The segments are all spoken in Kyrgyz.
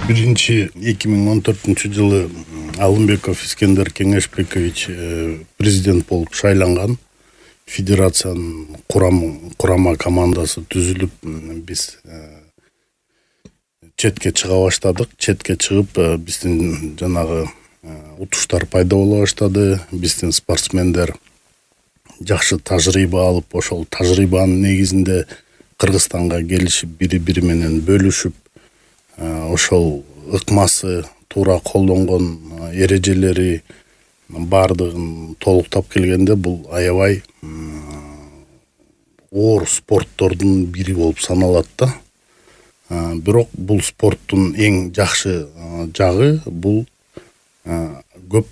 Биринчи 2014-жылы Алымбеков Искендер Кеңешбекович президент болуп шайланган. Федерациянын курама командасы түзүлүп, биз четке чыга баштадык. Четке чыгып, биздин жанагы утуштар пайда боло баштады. Биздин спортсмендер жакшы тажрыйба алып, ошол тажрыйбанын негизинде Кыргызстанга келишип, бири-бири менен бөлүшүп, ошол ыкмасы туура колдонгон эрежелери бардыгын толуктап келгенде бул аябай оор спорттордун бири болуп саналат да. Бирок бул спорттун эң жакшы жагы бул көп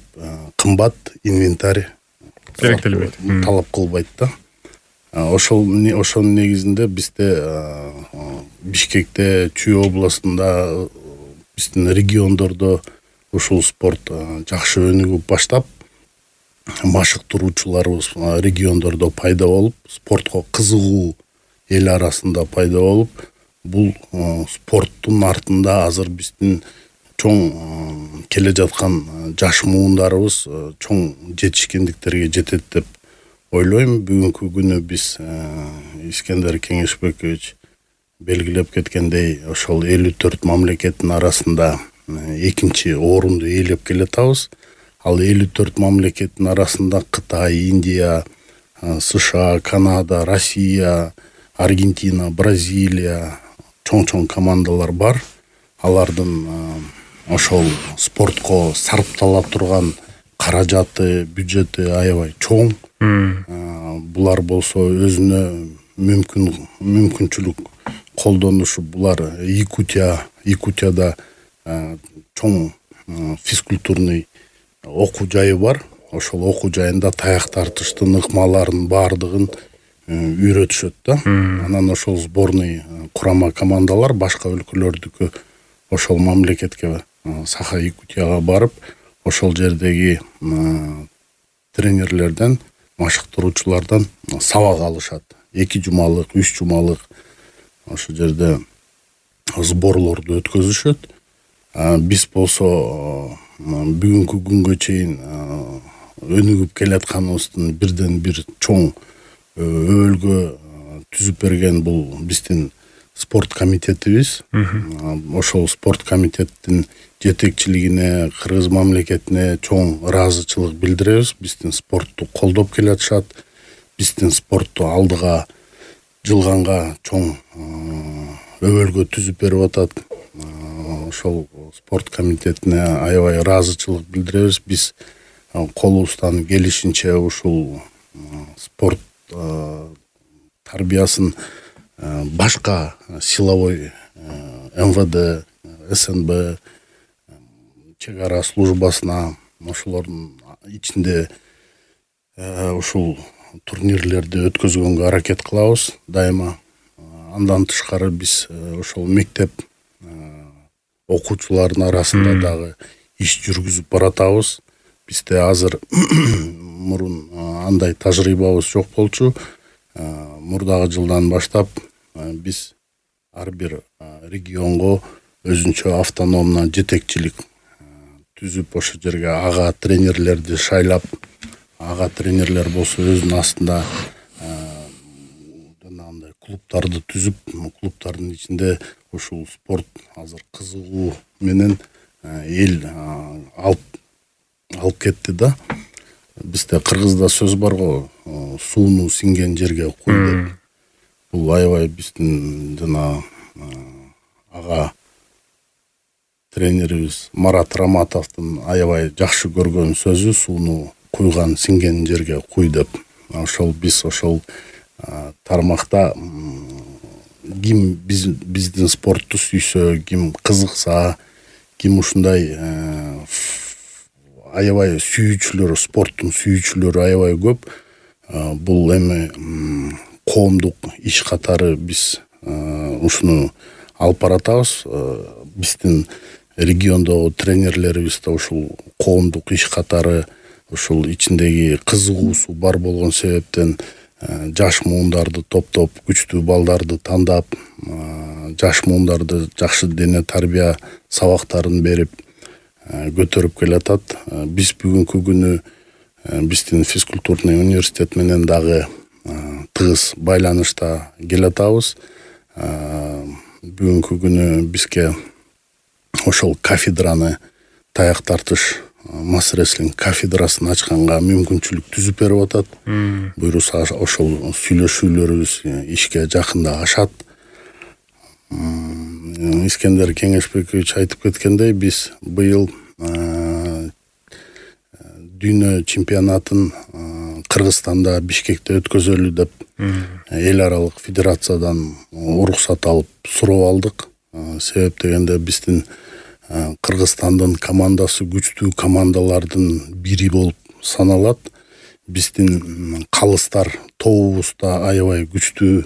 кымбат инвентарь керектелбейт, талап кылбайт да. Ошонун негизинде бизде Бишкекте, Чүй областында, биздин региондордо ушул спорт жакшы өнүгүп баштап, машыктыруучуларыбыз региондордо пайда болуп, спортко кызыгуу эл арасында пайда болуп, бул спорттун артында азыр биздин чоң келе жаткан жаш муундарыбыз чоң жетишкендиктерге жетет деп ойлойм. Бүгүнкү күнү биз Искендер Кеңешбекович белгилеп кеткендей, ошол 54 мамлекеттин арасында экинчи орунду ээлеп келатабыз. Ал 54 мамлекеттин арасында Кытай, Индия, США, Канада, Россия, Аргентина, Бразилия чоң командалар бар. Алардын ошол спортко сарптала турган каражаты, бюджети аябай чоң. Булар болсо өзүнө мүмкүнчүлүк колдонушу, булар Якутияда чоң физкультурный окуу жайы бар. Ошол окуу жайында таяк тартыштын ыкмаларын бардыгын үйрөтүшөт да. Анан ошол сборный курама командалар башка өлкөлөрдүкү ошол мамлекетке Саха Якутияга барып, ошол жердеги тренерлерден, машыктыруучулардан сабак алышат. 2 жумалык, 3 жумалык ошол жерде сборлорду өткөзүшөт. Биз болсо бүгүнкү күнгө чейин өнүгүп келатканыбыздын бирден бир чоң өбөлгө түзүп берген бул биздин спорт комитетибиз. Ошол спорт комитеттин жетекчилигине, Кыргыз мамлекетине чоң ыраазычылык билдиребиз. Биздин спортту колдоп келатышат. Биздин спортту алдыга жылганга чоң өбөлгө түзүп берип атат. Ошол спорт комитетине аябай ыраазычылык билдиребиз. Биз колубуздан келишинче ушул спорт тарбиясын башка силовой МВД, СНБ, чек ара службасына, ошолордун ичинде ушул турнирлерди өткөзгөнгө аракет кылабыз дайыма. Андан тышкары биз ошол мектеп окуучуларынын арасында дагы иш жүргүзүп баратабыз. Бизде азыр мурун андай тажрыйбабыз жок болчу. Мурдагы жылдан баштап биз ар бир регионго өзүнчө автономно жетекчилик түзүп, ошол жерге ага тренерлерди шайлап, ага тренерлер болсо өзүнүн астында жанагындай клубтарды түзүп, клубтардын ичинде ушул спорт азыр кызыгуу менен эл алып кетти да. Бизде Кыргызда сөз бар го, сууну сиңген жерге куй деп. Бул аябай биздин жана ага тренерибиз Марат Раматовдун аябай жакшы көргөн сөзү, сууну куйган сиңген жерге куй деп. Ошол биз ошол тармакта ким биздин спортту сүйсө, ким кызыкса, ким ушундай аябай сүйүүчүлөр, спорттун сүйүүчүлөрү аябай көп. Бул эми коомдук иш катары биз ушуну алып баратабыз. Биздин региондогу тренерлерибиз да ушул коомдук иш катары ушул ичиндеги кызыгуусу бар болгон себептен жаш муундарды топтоп, күчтүү балдарды тандап, жаш муундарды жакшы дене тарбия сабактарын берип көтөрүп келатат. Биз бүгүнкү күнү биздин физкультурный университет менен дагы тыгыз байланышта келатабыз. Бүгүнкү күнү бизге ошол кафедраны таяк тартыш масс рестлинг кафедрасын ачканга мүмкүнчүлүк түзүп берип атат. Буюрса ошол сүйлөшүүлөрүбүз ишке жакында ашат. Искендер Кеңешбекович айтып кеткендей, биз быйыл дүйнө чемпионатын Кыргызстанда Бишкекте өткөзөлү деп эл аралык федерациядан уруксат алып суроо алдык. Себеп дегенде биздин Кыргызстандын командасы күчтүү командалардын бири болуп саналат. Биздин калыстар тобубузда аябай күчтүү,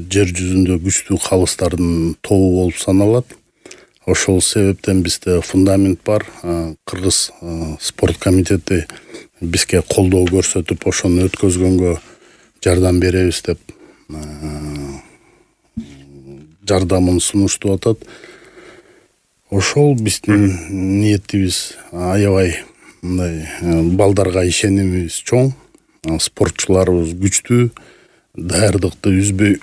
жер жүзүндө күчтүү калыстардын тобу болуп саналат. Ошол себептен бизде фундамент бар. Кыргыз спорт комитети бизге колдоо көрсөтүп, ошону өткөзгөнгө жардам беребиз деп жардамын сунуштуп атат. Ошол биздин ниетибиз аябай мындай балдарга ишенимибиз чоң. Спортчуларыбыз күчтүү, даярдыкты үзбөй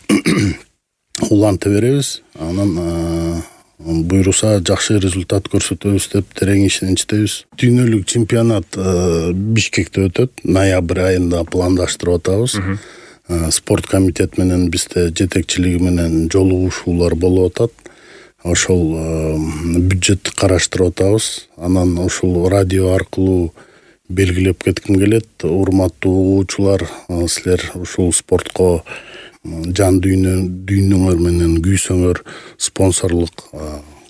уланта беребиз. Анан буйруса жакшы результат көрсөтөбүз деп терең ишеничтебиз. Дүйнөлүк чемпионат Бишкекте өтөт. Ноябрь айында пландаштырып атабыз. Спорт комитет менен бизде жетекчилиги менен жолугушуулар болуп атат. Ошол бюджетти караштырып атабыз. Анан ошол радио аркылуу белгилеп кетким келет. Урматтуу угуучулар, силер ушул спортко жан дүйнөңөр менен күйсөңөр, спонсорлук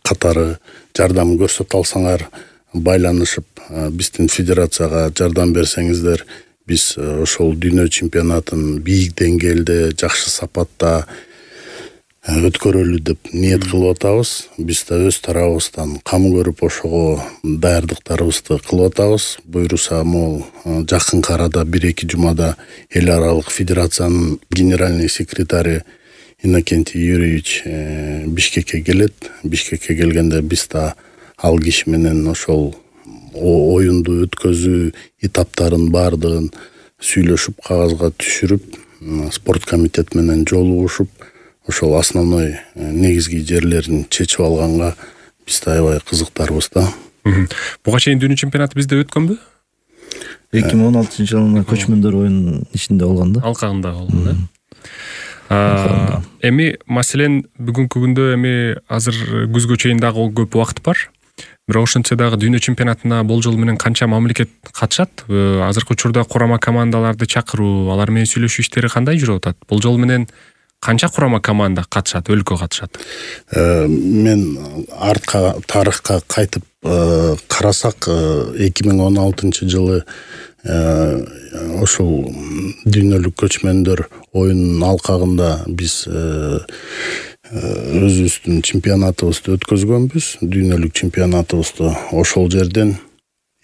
катары жардам көрсөтө алсаңар, байланышып биздин федерацияга жардам берсеңиздер, биз ошол дүйнө чемпионатын бийик деңгээлде, жакшы сапатта өткөрөлү деп ниет кылып атабыз. Биз да өз тарабыбыздан кам көрүп ошого даярдыктарыбызды кылып атабыз. Буйруса могул жакынкы арада 1-2 жумада эл аралык федерациянын генеральный секретары Иннокентий Юрьевич Бишкекке келет. Бишкекке келгенде биз да ал киши менен ошол оюнду өткөзүү этаптарын баардыгын сүйлөшүп, кагазга түшүрүп, спорт комитет менен жолугушуп, ошол основной негизги жерлерин чечип алганга биз да аябай кызыктарбыз да. Буга чейин дүйнө чемпионаты бизде өткөнбү? 2016-жылы көчмөндөр оюнунун ичинде болгон да. Алкагында болгон да. Эми маселен бүгүнкү күндө эми азыр күзгө чейин дагы көп убакыт бар. Бирок ошентсе дагы дүйнө чемпионатына болжол менен канча мамлекет катышат? Азыркы учурда курама командаларды чакыруу, алар менен сүйлөшүү иштери кандай жүрүп атат? Болжол менен канча курама команда катышат, өлкө катышат? Мен артка тарыхка кайтып карасак, 2016-жылы ошол дүйнөлүк көчмөндөр оюнунун алкагында биз өзүбүздүн чемпионатыбызды өткөзгөнбүз. Дүйнөлүк чемпионатыбызды ошол жерден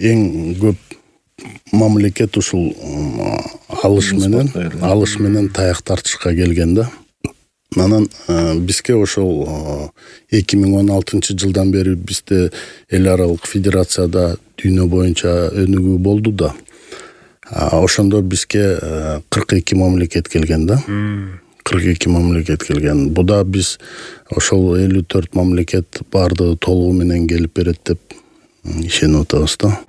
эң көп мамлекет ушул алыш менен таяк тартышка келген да. Анан бизге ошол 2016-жылдан бери бизде эл аралык федерацияда дүйнө боюнча өнүгүү болду да. Ошондо бизге 42 мамлекет келген да. 42 мамлекет келген. Буда биз ошол 54 мамлекет баардыгы толугу менен келип берет деп ишенип атабыз да.